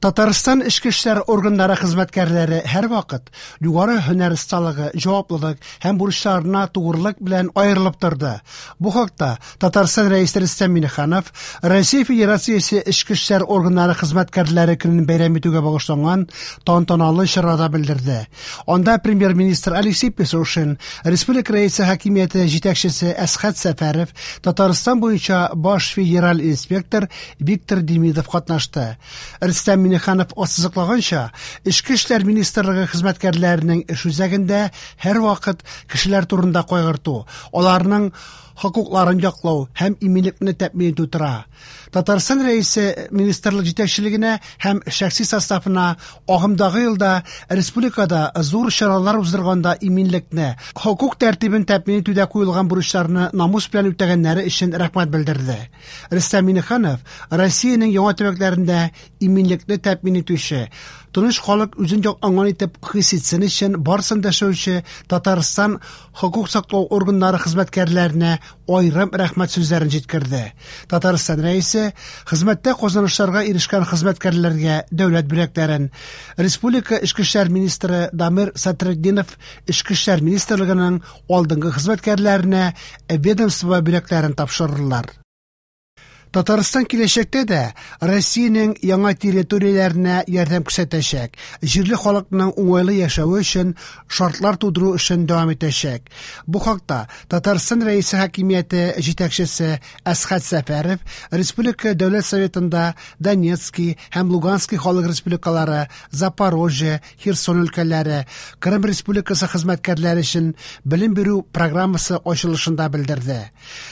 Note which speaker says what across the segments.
Speaker 1: Татарстан эчке эшләр органнары хезмәткәрләре һәрвакыт югары һөнәр осталыгы, җаваплылык һәм бурычларына тугрылык белән аерылып торды. Бу хакта Татарстан Рәисе Рөстәм Миңнеханов Россия Федерациясе эчке эшләр органнары хезмәткәрләре көнен бәйрәм итүгә багышланган тантаналы чарада белдерде. Анда премьер-министр Алексей Песошин, республика Рәисе хакимияте җитәкчесе Әсхәт Сәфәров, Татарстан буенча баш федераль инспектор Виктор Демидов катнашты. Рөстәм Миңнеханов ассызыклаганча, Эчке эшләр министрлыгы хезмәткәрләренең эш үзәгендә һәрвакыт кешеләр турында кайгырту, аларның хокукларын яклау һәм иминлекне тәэмин итү тора. Татарстан Рәисе министрлык җитәкчелегенә һәм шәхси составына агымдагы елда республикада зур чаралар уздырганда иминлекне, хокук тәртибен тәэмин итүдә куелган бурычларны намус белән үтәгәннәре өчен рәхмәт белдерде. Рөстәм Миңнеханов Россиянең яңа төбәкләрендә иминлекне тәэмин итүче, тыныч халык үзен якланган итеп хис итсен өчен барысын да эшләүче Татарстан хокук саклау органнары хезмәткәрләренә аерым рәхмәт сүзләрен җиткерде. Татарстан Рәисе хезмәттә казанышларга ирешкән хезмәткәрләргә дәүләт бүләкләрен, республика эчке эшләр министры Дамир Сатретдинов эчке эшләр министрлыгының алдынгы хезмәткәрләренә ведомство бүләкләрен тапшырырлар. Татарстан киләчәктә дә Россиянең яңа территорияләренә ярдәм күрсәтәчәк, җирле халыкның уңайлы яшәве өчен шартлар тудыру эшен дәвам итәчәк. Бу хакта Татарстан Рәисе хакимияте җитәкчесе Әсхәт Сәфәров Республика Дәүләт Советында Донецкий һәм Луганский халык республикалары, Запорожье, Херсон өлкәләре, Крым Республикасы хезмәткәрләре өчен белем бирү программасы ачылышында белдерде.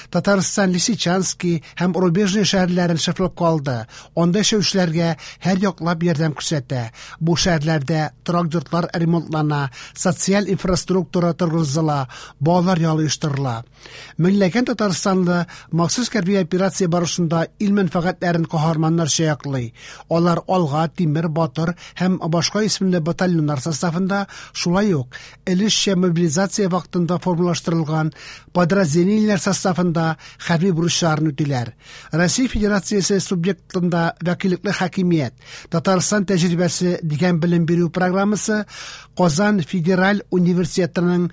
Speaker 1: Татарстан Лисичанский һәм Рубежный шәһәрләрен шефлыкка алды. Анда яшәүчеләргә һәр яклап ярдәм күрсәтә. Бу шәһәрләрдә торак йортлар ремонтлана, социаль инфраструктура торгызыла, балалар ялы оештырыла. Меңләгән татарстанлы махсус хәрби операция барышында ил мәнфәгатьләрен каһарманнарча яклый. Алар Алга, Тимер, Батыр һәм башка исемле батальоннар составында, шулай ук өлешчә мобилизация вакытында формалаштырылган подразделениеләр составында хәрби бурычларын үтиләр. Россия Федерациясе субъектында вәкиллекле хакимият, Татарстан тәҗрибәсе дигән белем бирү программасы Казан федераль университетының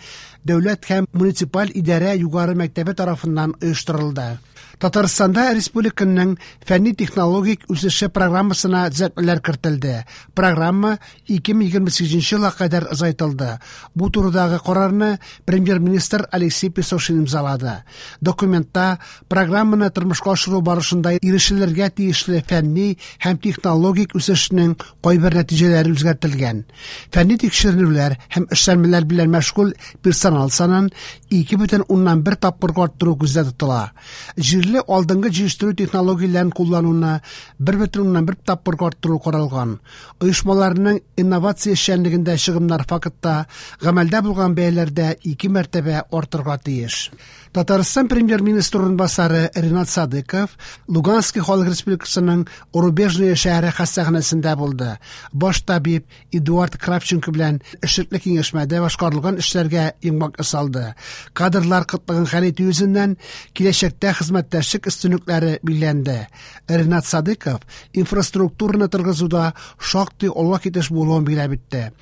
Speaker 1: Дәүләт һәм муниципаль идарә югары мәктәбе тарафыннан оештырылды. Татарстанда республиканың фәнни-технологик үсеше программасына төзәтмәләр кертелде. Программа 2028 елга кадәр озайтылды. Бу турыдагы карарны премьер-министр Алексей Песошин имзалады. Документта программаны тормышка ашыру барышында ирешелергә тиешле фәнни һәм технологик үсешнең кайбер нәтиҗәләре үзгәртелгән. Фәнни тикшеренүләр һәм эшләнмәләр белән мәшгуль персонал санын 2,1 тапкырга арттыру күздә тотыла. Җирле алдынгы җитештерү технологияләрен куллануны 1,1 тапкырга арттыру каралган. Оешмаларның инновация эшчәнлегендә чыгымнар фактта гамәлдә булган бәяләрдә ике мәртәбә артырга тиеш. Татарстан премьер-министры урынбасары Ринат Садыков Луганский халык республикасының Рубежное шәһәре хастаханәсендә булды. Баш табиб Эдуард Кравченко белән эшлекле киңәшмәдә башкарылган эшләргә йомгак ясалды. Кадрлар кытлыгын хәл итү йөзеннән киләчәктә хезмәттәшлек өстенлекләре билгеләнде. Ринат Садыков инфраструктураны торгызуда шактый алга китеш булуын билгеләп үтте.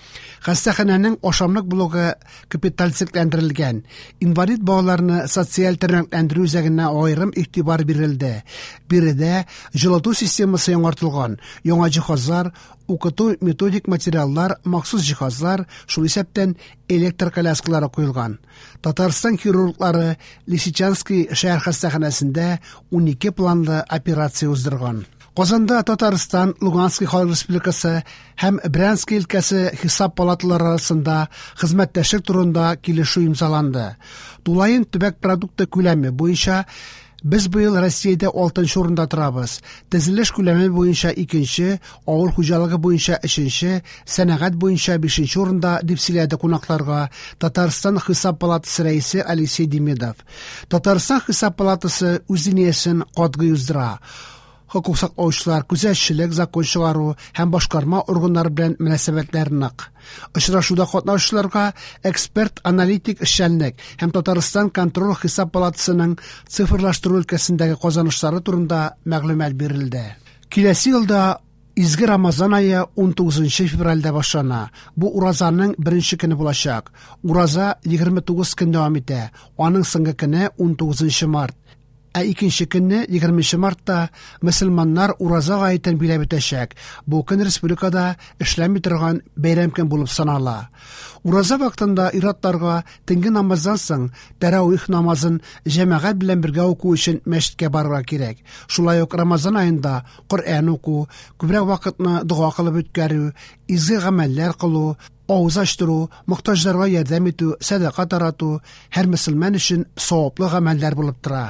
Speaker 1: Хастаханәнең ашамлык блогы капиталь төзекләндерелгән. Инвалид балаларны социаль тернәкләндерү үзәгенә аерым игътибар бирелде. Биредә җылыту системасы яңартылган, яңа җиһазлар, укыту методик материаллар, махсус җиһазлар, шул исәптән электр коляскалары куелган. Татарстан хирурглары Лисичанский шәһәр хастаханәсендә 12 планлы операция уздырган. Казанда Татарстан, Луганский халык республикасы һәм Брянский өлкәсе хисап палаталары арасында хезмәттәшлек турында килешү имзаланды. Тулаем төбәк продукты күләме буенча без быел Россиядә 6 урында торабыз. Төзелеш күләме буенча 2-нче, авыл хуҗалыгы буенча 3-нче, сәнәгать буенча 5-нче урында, дип сөйләде кунакларга Татарстан Хисап палатасы рәисе Алексей Демидов. Татарстан Хисап палатасы үз линиясен катгый уздыра. Хокук саклаучылар, күзәтчелек, закон чыгару һәм башкарма органнары белән мөнәсәбәтләр нык. Очрашуда катнашучыларга эксперт-аналитик эшчәнлек һәм Татарстан контроль хисап палатасының цифрлаштыру өлкәсендәге казанышлары турында мәгълүмат бирелде. Киләсе елда Изге Рамазан ае 19 февральдә башлана. Бу уразаның беренче көне булачак. Ураза 29 көн дәвам итә. Аның соңгы көне 19 март. Ә икенче көнне, 20 мартта, мөселманнар Ураза гаетен биләп үтәчәк. Бу көн республикада эшләми торган бәйрәм көн булып санала. Ураза вакытында ир-атларга төнге намаздан соң тәравих намазын җәмәгать белән бергә уку өчен мәчеткә барырга кирәк. Шулай ук Рамазан аенда Коръән уку, күбрәк вакытны дога кылып үткәрү, изге гамәлләр кылу, авыз ачтыру, мохтаҗларга ярдәм итү, сәдака тарату һәр мөселман өчен саваплы гамәлләр булып тора.